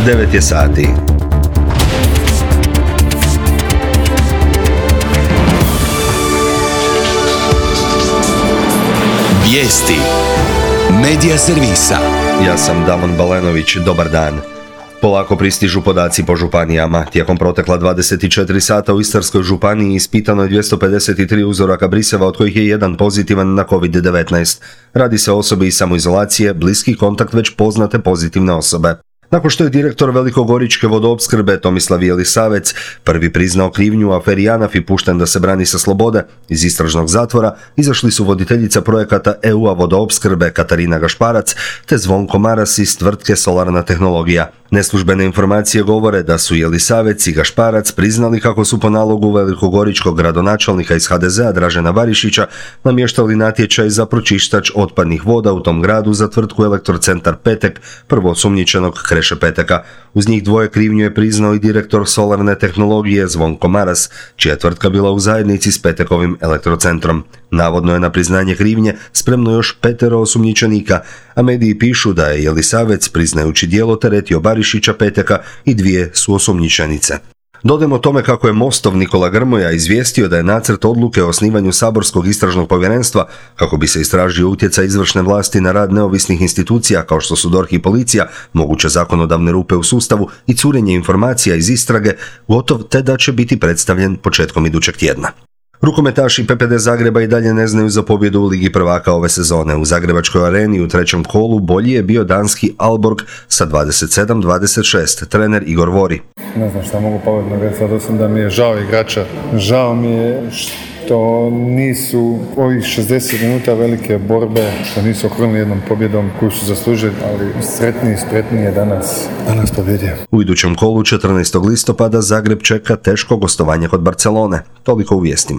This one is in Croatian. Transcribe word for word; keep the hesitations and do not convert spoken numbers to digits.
devet je sati. Vijesti Medija servisa. Ja sam Davon Balenović, dobar dan. Polako pristižu podaci po županijama. Tijekom protekla dvadeset četiri sata u Istarskoj županiji ispitano je dvjesto pedeset tri uzoraka briseva, od kojih je jedan pozitivan na kovid devetnaest. Radi se o osobi iz samoizolacije, bliski kontakt već poznate pozitivne osobe. Nakon što je direktor velikogoričke vodoopskrbe Tomislav Jelisavec prvi priznao krivnju u aferi JANAF i pušten da se brani sa slobode, iz istražnog zatvora izašli su voditeljica projekata E U-a vodoopskrbe Katarina Gašparac te Zvonko Maras iz tvrtke Solarna tehnologija. Neslužbene informacije govore da su Jelisavec i Gašparac priznali kako su po nalogu velikogoričkog gradonačelnika iz ha de zea Dražena Barišića namještali natječaj za pročištač otpadnih voda u tom gradu za tvrtku Elektrocentar Petek, prvoosumnjičenog Kreše Peteka. Uz njih dvoje krivnju je priznao i direktor Solarne tehnologije Zvonko Maras, čija je tvrtka bila u zajednici s Petekovim elektrocentrom. Navodno je na priznanje krivnje spremno još petero osumnjičenika, a mediji pišu da je Jelisavec, priznajući djelo, teretio Barišića, Peteka i dvije suosumnjičenice. Dodajmo tome kako je Mostov Nikola Grmoja izvijestio da je nacrt odluke o osnivanju saborskog istražnog povjerenstva kako bi se istražio utjecaj izvršne vlasti na rad neovisnih institucija kao što su D O R H i policija, moguće zakonodavne rupe u sustavu i curenje informacija iz istrage, gotov te da će biti predstavljen početkom idućeg tjedna. Rukometaši P P D Zagreba i dalje ne znaju za pobjedu u Ligi prvaka ove sezone. U Zagrebačkoj areni u trećem kolu bolji je bio danski Aalborg sa dvadeset sedam dvadeset šest, trener Igor Vori. Ne znam šta mogu pametno reći, sad osim da mi je žao igrača. Žao mi je što nisu ovih šezdeset minuta velike borbe, što nisu okrunili jednom pobjedom koju su zaslužili, ali sretniji, spretniji je danas, danas pobjedio. U idućem kolu četrnaestog listopada Zagreb čeka teško gostovanje kod Barcelone. Toliko u vijestima.